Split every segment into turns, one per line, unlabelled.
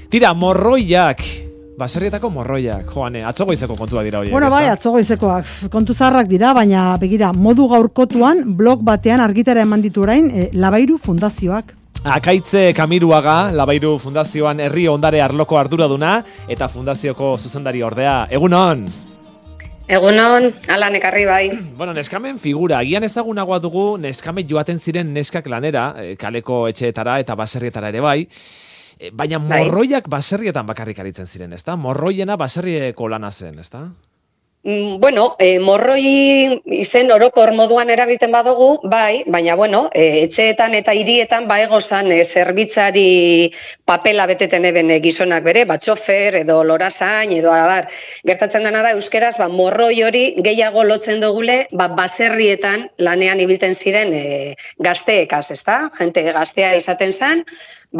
Tira, morroiak. Baserrietako morroiak, joane, atzogoizeko kontua dira horiek.
Bueno, bai, atzogoizekoak kontu zaharrak dira, baina begira, modu gaurkotuan blog batean argitara eman ditu orain Labairu Fundazioak.
Akaitze Kamiruaga, Labairu Fundazioan herri ondare arloko arduraduna eta fundazioko zuzendari ordea. Egunon!
Egunon, Alan ekarri bai.
Bueno, neskamen figura, agian ezagunagoa dugu neskamen joaten ziren neskak lanera, kaleko etxeetara eta baserrietara ere bai. Baina morroiak baserrietan bakarrik aritzen ziren, ezta? Morroiena baserrieko lana zen, ezta?
Bueno, morroi izen orokor moduan erabiltzen badugu, bai, baina bueno, etxeetan eta hirietan egozan zerbitzari papela beteten eben gizonak bere, txofer edo lorazain edo abar. Gertatzen dena da euskeraz, morroi hori gehiago lotzen dugule, baserrietan lanean ibilten ziren gazteekaz, ezta? Jente gaztea izaten zen,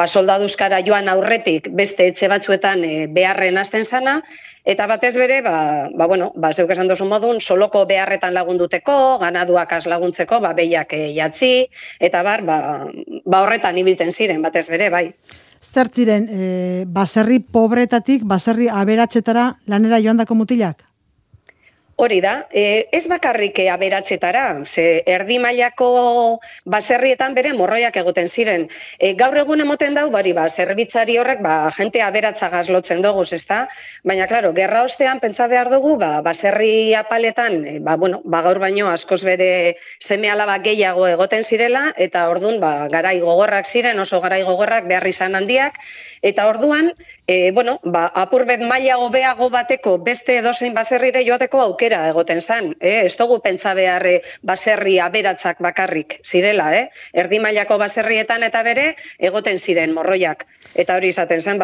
soldaduzkara joan aurretik beste etxe batzuetan beharren hasten zana, eta batez bere, zeuk esan duzun modun, soloko beharretan lagunduteko, ganaduakaz laguntzeko, behiak jatzi, eta horretan ibilten ziren, batez bere, bai.
Zer ziren, baserri pobretatik, baserri aberatsetara lanera joandako mutilak?
Hori da, ez bakarrik aberatsetara, ze erdi mailako baserrietan bere morroiak egoten ziren. Gaur egun emoten dau, zerbitzari horrek, jente aberatzagaz lotzen doguz, ezta? Baina, klaro, gerra ostean pentsa behar dugu, baserri apaletan, gaur baino askoz bere seme alaba gehiago egoten zirela, eta ordun garai gogorrak ziren, oso garai gogorrak behar izan handiak, eta orduan, apurbet maila hobeago bateko beste edozein baserrire joateko aukera egoten zan. Ez dugu pentsa behar baserri aberatzak bakarrik zirela, erdi mailako baserrietan eta bere egoten ziren morroiak. Eta hori izaten zen,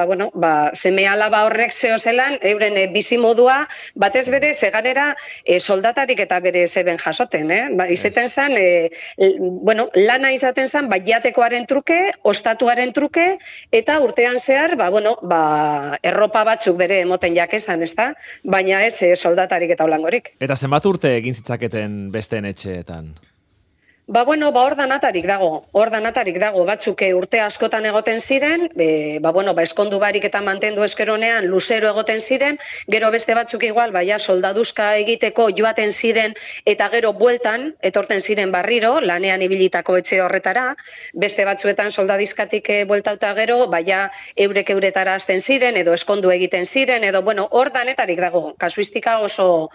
seme alaba horrek zehozelan, euren bizimodua, batez bere, zeganera soldatarik eta bere zeben jasoten. Izaten zen, lana izaten zen, jatekoaren truke, ostatuaren truke, eta urtean zehar, erropa batzuk bere emoten jakezan, ezta? Baina ez soldatarik eta holangorik.
Eta zenbat urte egin zitzaketen besteen etxeetan?
Hor danatarik dago, batzuk urte askotan egoten ziren, eskondu barik eta mantendu eskeronean luzero egoten ziren, gero beste batzuk igual, soldaduzka egiteko joaten ziren, eta gero bueltan, etorten ziren barriro, lanean ibilitako etxe horretara, beste batzuetan soldadizkatik bueltauta gero, eurek euretara hasten ziren, edo eskondu egiten ziren, edo hor danetarik dago, kasuistika oso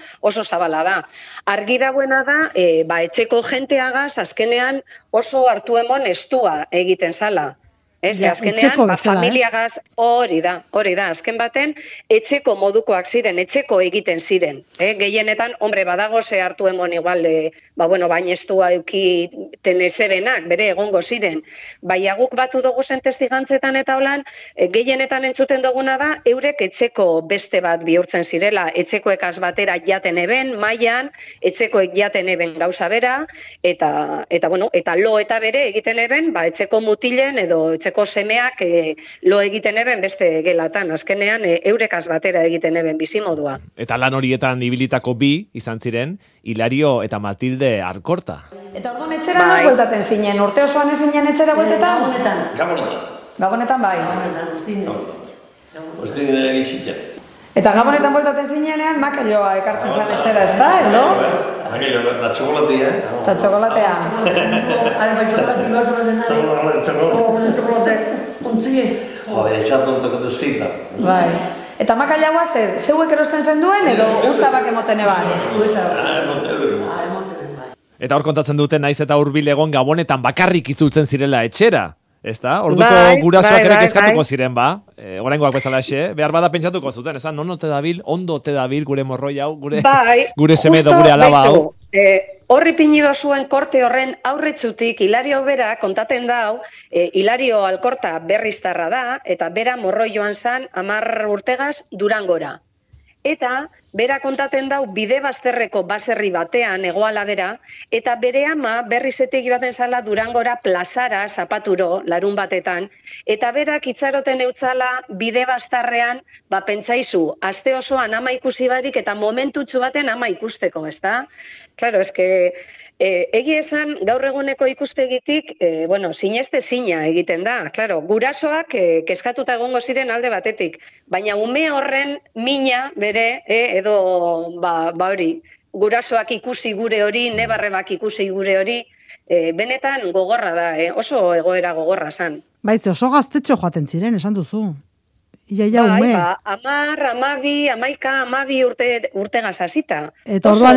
zabala da. Argi dagoena da, etxeko jenteagaz, azkenean oso hartu emon estua egiten zala. Azkenean, familiagaz hori da, azken baten, etxeko modukoak ziren, etxeko egiten ziren. Gehienetan, badago ze hartu emon igual, baina estua eukiten ezerenak, bere egongo ziren. Baina guk batu dugu zen testigantzetan eta holan, gehienetan entzuten duguna da, eurek etxeko beste bat bihurtzen zirela, etxekoekaz batera jaten eben, mailan, etxekoek jaten eben gauza bera, eta lo eta bere egiten eben, etxeko mutilen edo etxeko semeak lo egiten eben beste gelatan, azkenean eurekaz batera egiten eben bizimodua.
Eta lan horietan ibilitako bi izan ziren, Hilario eta Matilde Arkorta.
Eta orduan etxera noz bueltaten zinen? Urte osoan ez zinen etxera bueltetan? Gabonetan bai.
Ostin egizitea.
Eta Gabonetan bueltaten zinenean, makailoa ekartzen zan etxera, ez da, edo?
Makailoa, da txokolatea.
Eta txokolatea.
Txokolatea bat zen nahi. Txokolate, ontzie.
Esatortako dezita.
Bai. Eta makailoa zeuek erosten zen duen, edo usabak emoten eban?
Eta hor kontatzen duten naiz eta hurbil egon Gabonetan bakarrik itzultzen zirela etxera. Ezta? Orduko gurasoak ere kezkatuko ziren, oraingoak bezalaxe, behar bada pentsatuko zuten, ezta? Non ote dabil, ondo ote dabil gure morroi hau, gure seme edo gure alaba hau.
Horri pinido zuen korte horren aurretzutik, Hilario bera kontaten dau, Hilario Alkorta berriztarra da, eta bera morroi joan zan 10 urtegaz Durangora. Eta bera kontaten dau bide bazterreko baserri batean egoala bera, eta bere ama berrizetik baten zala Durangora plazara zapaturo larun batetan, eta berak itxaroten eutzala bide baztarrean, pentsaizu, aste osoan ama ikusi barik eta momentutxu baten ama ikusteko, ezta? Claro, eske... Egi esan, gaur eguneko ikuspegitik, sineste zina egiten da. Claro, gurasoak kezkatuta egongo ziren alde batetik, baina ume horren mina bere, edo hori, gurasoak ikusi gure hori, nebarrebak ikusi gure hori, benetan gogorra da, oso egoera gogorra zan.
Baitze, oso gaztetxo joaten ziren, esan duzu. Iaia ume.
10, 11, 12 urte gazazita.
Eta orduan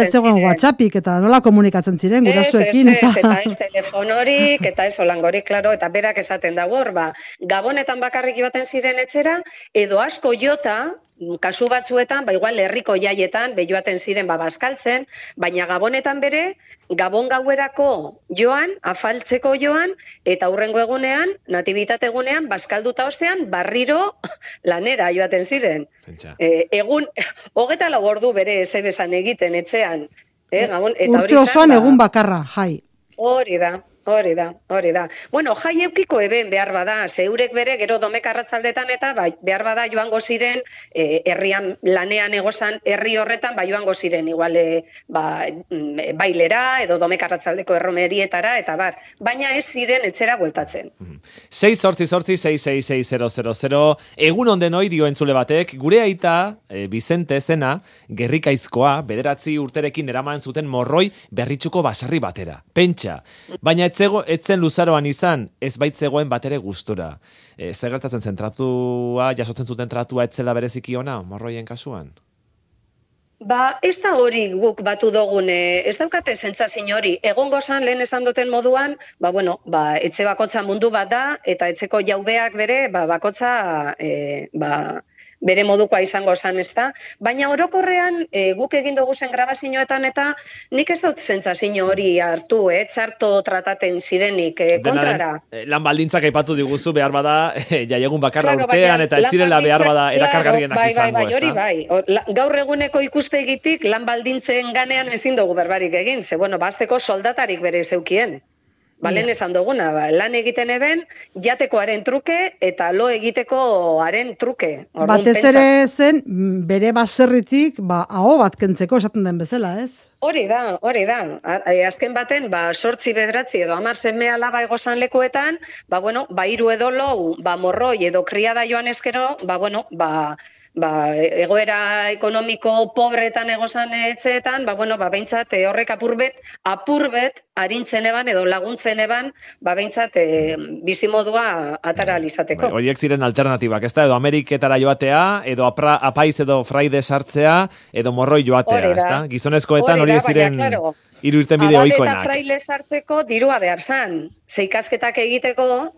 etzegoen WhatsAppik, eta nola komunikatzen ziren gurasoekin.
Eta ez telefonorik, eta ez olangorik, klaro, eta berak esaten dago hor, Gabonetan bakarrik baten ziren etxera, edo asko jota, kasu batzuetan, igual herriko jaietan, joaten ziren bazkaltzen, baina Gabonetan bere, Gabon gauerako joan, afaltzeko joan, eta hurrengo egunean, natibitate egunean, bazkalduta ostean, barriro lanera joaten ziren. Egun, 24 ordu bere ezebesan egiten etxean. Gabon,
urte osoan egun bakarra, jai.
Hori da. Bueno, jai eukiko eben behar bada, zeurek bere gero Domek arratzaldetan eta behar bada joango ziren, herrian lanean egozan herri horretan, joango ziren, igual bailera edo Domek arratzaldeko erromerietara, eta baina ez ziren etxera bueltatzen.
6-8-6-6-6-0-0-0, egun onden hoi dio entzule batek, gure aita, Bizente zena, gerrikaizkoa, 9 urterekin eraman zuten morroi berritxuko basarri batera. Pentsa, baina etzen luzaroan izan, ez baitzegoen batere gustura. Zer gertatzen zen, jasotzen zuten tratua etzela bereziki ona, morroien kasuan?
Ez da hori guk batu dugun, ez daukate sentsazio hori. Egongo zan, lehen esan duten moduan, etxe bakotza mundu bat da, eta etxeko jaubeak bere, bakotza, bere modukoa izango zan, ez da. Baina orokorrean, guk egin dugu zen grabazioetan, eta nik ez dut sentsazio hori hartu, txarto trataten zirenik kontrara.
Lan baldintzak aipatu diguzu behar bada, jaiegun bakarra urtean, eta ez zirela behar bada erakargarrienak izango, ez da?
Bai. Gaur eguneko ikuspegitik lan baldintzen ganean ezin dugu berbarik egin, ze, bazteko soldatarik bere zeukien. Lehen esan duguna, lan egiten eben, jatekoaren truke eta lo egitekoaren truke.
Batez ere zen, bere baserritik, aho bat kentzeko esaten den bezala, ez?
Hori da. Azken baten, 8-9 edo 10 seme alaba egozan lekuetan, 3 edo lau, morroi edo kriada joan eskero, egoera ekonomiko pobretan egozan etxeetan, behintzat horrek apurbet arintzen eban edo laguntzen eban, behintzat bizimodua atara alizateko.
Horiek ziren alternatibak, ez da, edo Ameriketara joatea, edo apaiz edo fraide sartzea, edo morroi joatea, ez da? Gizonezkoetan horiek ziren... Irurten bide oikoenak.
Abade eta fraile sartzeko dirua behar zan. Ze ikasketak egiteko,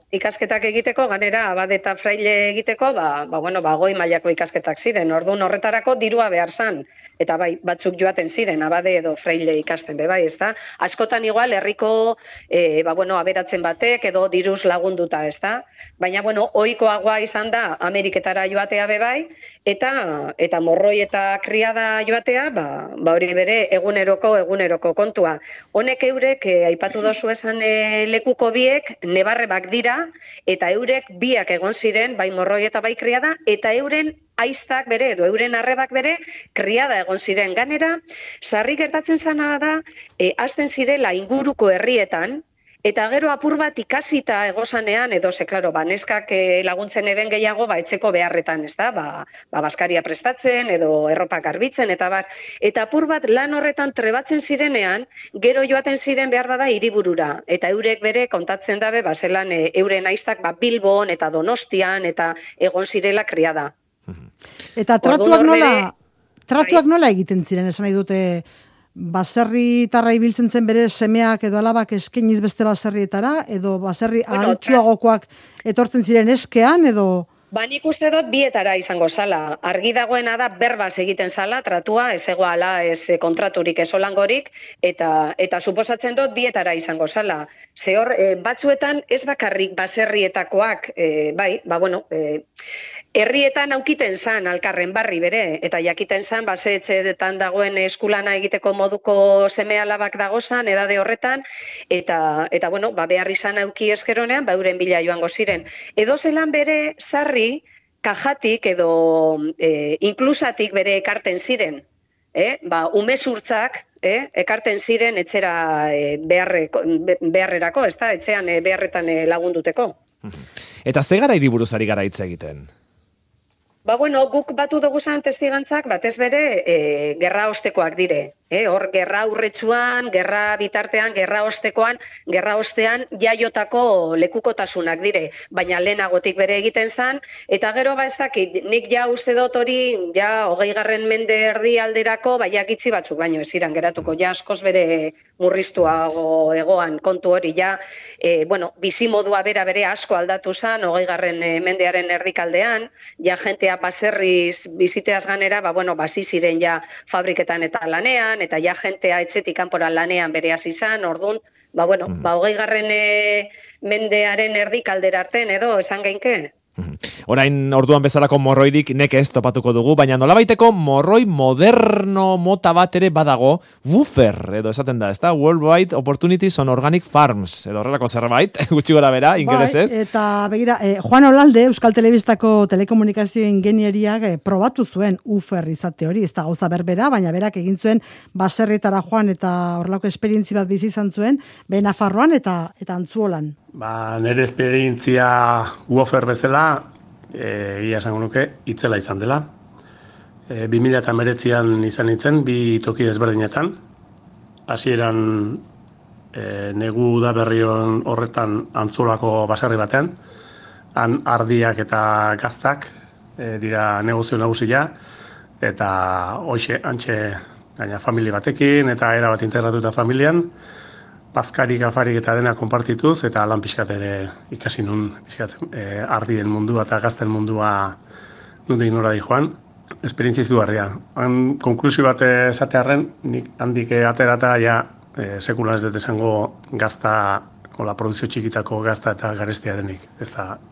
ganera abade eta fraile egiteko, goi mailako ikasketak ziren. Orduan horretarako dirua behar zan. Eta batzuk joaten ziren, abade edo fraile ikasten bebai, ez da? Askotan igual, herriko, aberatzen batek edo diruz lagunduta, ez da? Baina, ohikoagoa izan da Ameriketara joatea bebai, eta morroi eta kriada joatea, hori bere eguneroko kontua. Honek eurek, aipatu dozu esan lekuko biek, nebarrebak dira, eta eurek biak egon ziren, bai morroi eta bai kriada, eta euren aiztak bere, edo euren arrebak bere, kriada egon ziren. Ganera, sarri gertatzen zana da, hasten zirela inguruko herrietan, eta gero apur bat ikasita egozanean, edo neskak laguntzen eben gehiago, etxeko beharretan, ez da, baskaria prestatzen, edo erropa garbitzen, eta apur bat lan horretan trebatzen zirenean, gero joaten ziren behar bada hiriburura, eta eurek bere kontatzen dabe, zelan euren aiztak Bilbon eta Donostian, eta egon zirela kriada.
Eta tratuak nola egiten ziren, esan nahi dute, baserritarra ibiltzen zen bere semeak edo alabak eskeniz beste baserrietara, edo baserri altsuagokoak etortzen ziren eskean, edo...
Nik uste dut bietara izango zala. Argi dagoena da berbaz egiten zala, tratua, ez egoala, ez kontraturik, ez olangorik, eta suposatzen dut bietara izango zala. Batzuetan ez bakarrik baserrietakoak, herrietan aukiten zan alkarren barri bere, eta jakiten zan, etxeetan dagoen eskulana egiteko moduko seme alabak dagozan, edade horretan, eta bueno, behar izan auki eskeronean, euren bila joango ziren. Edo zelan bere sarri, kajatik edo inklusatik bere ekarten ziren. Umezurtzak ekarten ziren etxera beharrerako, ez da, etxean beharretan lagunduteko.
Eta ze gara hiriburuz ari gara hitz egiten?
Guk batu dugu zan testigantzak, batez bere, gerra ostekoak dire. Hor, gerra urretsuan, gerra bitartean, gerra ostean jaiotako lekukotasunak dire. Baina lehenagotik bere egiten zan, eta gero ez dakit, nik ja uste dut hori, 20. mende erdi alderako, jakitzi batzuk, baino ez iran geratuko, askoz bere murriztuago egoan kontu hori, bizimodua bere asko aldatu zan, 20. mendearen erdikaldean, jentea baserriz biziteaz ganera, basi ziren fabriketan eta lanean, eta jentea etxetik kanpora lanean bere hasi izan, orduan, 20. mendearen erdikaldera arten edo esan geinke.
Orain orduan bezalako morroirik neke ez topatuko dugu, baina nolabaiteko morroi moderno mota bat ere badago, woofer edo esaten da, ezta? Worldwide Opportunities on Organic Farms, edo horrelako zerbait, gutxi gora bera, ingelesez.
Eta begira, Juan Olalde, Euskal Telebistako telekomunikazio ingenieriak probatu zuen woofer izate hori, ez da gauza berbera, baina berak egin zuen baserrietara joan eta horrelako esperientzi bat bizi izan zuen, Nafarroan eta Antzuolan.
Nire esperientzia woofer bezala, ia esango nuke, itzela izan dela. 2019an izan nintzen, bi toki desberdinetan. Hasieran negu udaberrion horretan Antzolako baserri batean, han ardiak eta gaztak dira negozio nagusia, eta hoxe, antxe, gaina familia batekin, eta era bat integratuta familian, bazkarik, afarik eta dena konpartituz, eta lan pixkat ere ikasi nun, ardien mundua eta gazten mundua nundik nora di joan. Esperientzia izugarria. Han konklusio bat esatearren, nik handik aterata sekulan ez dut esango gazta, produzio txikitako gazta eta garestia denik,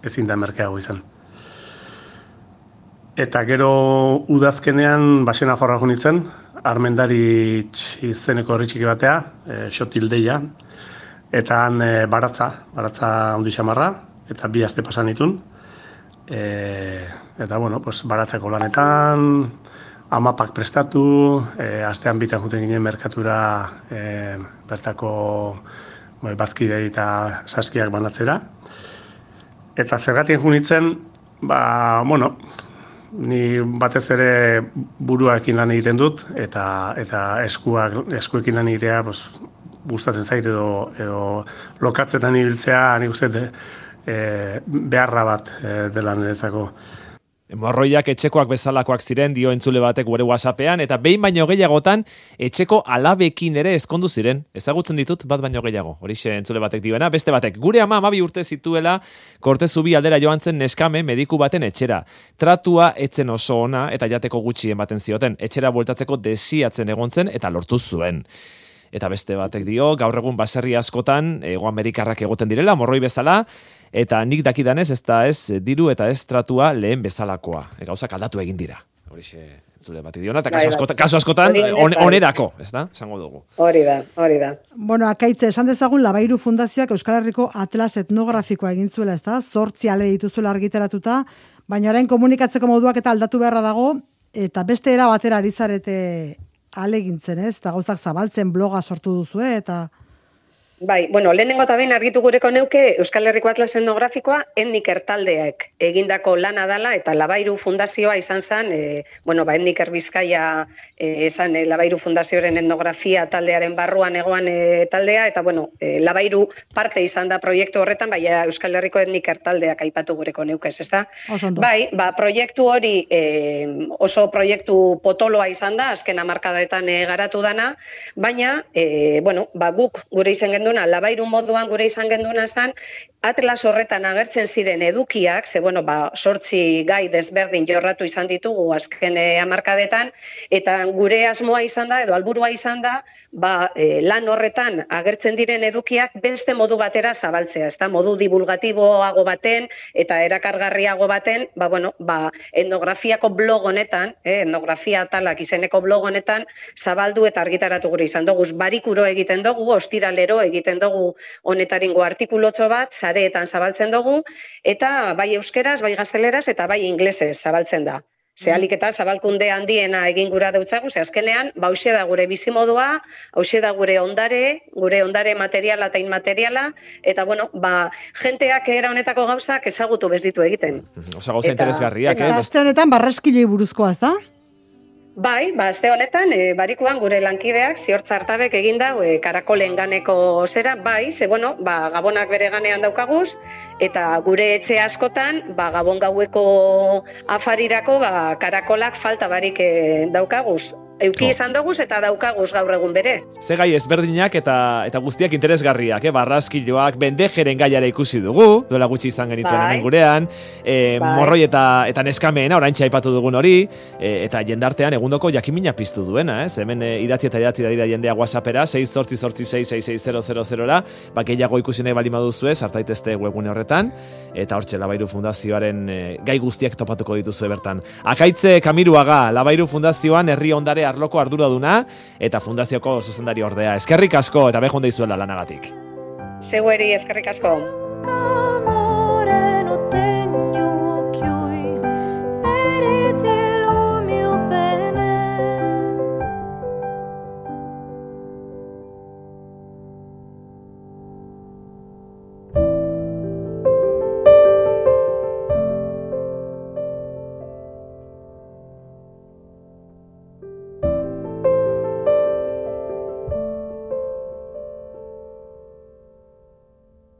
ezin da merkeago izan. Eta gero udazkenean basena forra junitzen, Armendari izeneko herri txiki batea, Xotildeia, eta han baratza handi xamarra, eta 2 aste pasan ditun. Eta, baratzeko lanetan, amapak prestatu, astean bitan juten ginen merkatura bertako bazkidei eta saskiak banatzera. Eta zergatien junitzen, ni batez ere buruarekin lan egiten dut, eta eskuekin lan egitea gustatzen zait edo lokatzetan ibiltzea, nik uste beharra bat dela niretzako.
Morroiak etxekoak bezalakoak ziren, dio entzule batek gure WhatsAppean, eta behin baino gehiagotan etxeko alabekin ere ezkondu ziren. Ezagutzen ditut bat baino gehiago, horixe entzule batek dioena. Beste batek, gure ama 12 urte zituela Kortezubi aldera joan zen neskame mediku baten etxera. Tratua etzen oso ona eta jateko gutxi ematen zioten. Etxera bueltatzeko desiatzen egon zen eta lortu zuen. Eta beste batek dio, gaur egun baserri askotan, Hego Amerikarrak egoten direla, morroi bezala, eta nik dakidanez ez da ez diru eta ez tratua lehen bezalakoa. Gauzak aldatu egin dira. Horixe entzule bat idiona, eta kasu askotan onerako, ez da? Esango dugu.
Hori da.
Akaitze, esan dezagun Labairu Fundazioak Euskal Herriko atlas etnografikoa egin zuela, ez da? 8 ale dituzuela argitaratuta, baina orain komunikatzeko moduak eta aldatu beharra dago, eta beste era batera ari zarete alegintzen, ez? Eta gauzak zabaltzen bloga sortu duzue, eta...
Bai, lehenengo eta behin argitu gureko neuke Euskal Herriko Atlas Etnografikoa Etniker taldeak egindako lana dala eta Labairu Fundazioa izan zen, Etniker Bizkaia esan Labairu Fundazioaren etnografia taldearen barruan egoan taldea, eta Labairu parte izan da proiektu horretan, baina Euskal Herriko Etniker taldeak aipatu gureko neukez, ez da? Bai, proiektu hori oso proiektu potoloa izan da, azken hamarkadaetan garatu dana, baina, guk gure izan genduna, Labairu moduan gure izan genduna zen, Atlas horretan agertzen ziren edukiak, ze 8 gai desberdin jorratu izan ditugu azken hamarkadetan, eta gure asmoa izan da, edo helburua izan da, lan horretan agertzen diren edukiak beste modu batera zabaltzea, ezta modu divulgatiboago baten eta erakargarriago baten, etnografiako blog honetan, etnografia atalak izeneko blog honetan zabaldu eta argitaratu gure izan dugu. Barikuro egiten dugu, ostiralero egiten dugu honetaringo artikulotxo bat, sareetan zabaltzen dugu, eta bai euskeraz, bai gazteleraz eta bai inglesez zabaltzen da. Zehalik eta zabalkunde handiena egin gura deutzagu, ze azkenean, hauxe da gure bizimodua, hauxe da gure ondare materiala eta inmateriala, eta jenteak era honetako gauzak ezagutu bezditu egiten.
Osa gauza interesgarriak,
Eta azte honetan barraskiloi buruzkoa, ez da?
Bai, azte honetan, barikuan gure lankideak, Ziortza Artabek eginda, karakolen ganeko zera, bai, ze gabonak bere ganean daukaguz, eta gure etxe askotan, gabon gaueko afarirako, karakolak falta barik daukaguz. Euki izan duguz eta daukaguz gaur egun bere.
Ze gai ezberdinak eta guztiak interesgarriak, barraskiloak, bendejeren gaiara ikusi dugu, duela gutxi izan genituen hemen gurean, morroi eta neskameena, oraintxe aipatu dugun hori, eta jendartean egundoko jakimina piztu duena, hemen idatzi eta idatzi da jendea WhatsAppera, 688666000ra, gehiago ikusi nahi bali maduzue, sartaitezte webgune horretan, eta hortxe Labairu Fundazioaren gai guztiak topatuko dituzue bertan. Akaitze Kamiruaga, Labairu Fundazioan herri ondare arloko arduraduna eta fundazioko zuzendari ordea. Eskerrik asko eta behon deizuela lanagatik.
Zeueri eskerrik asko.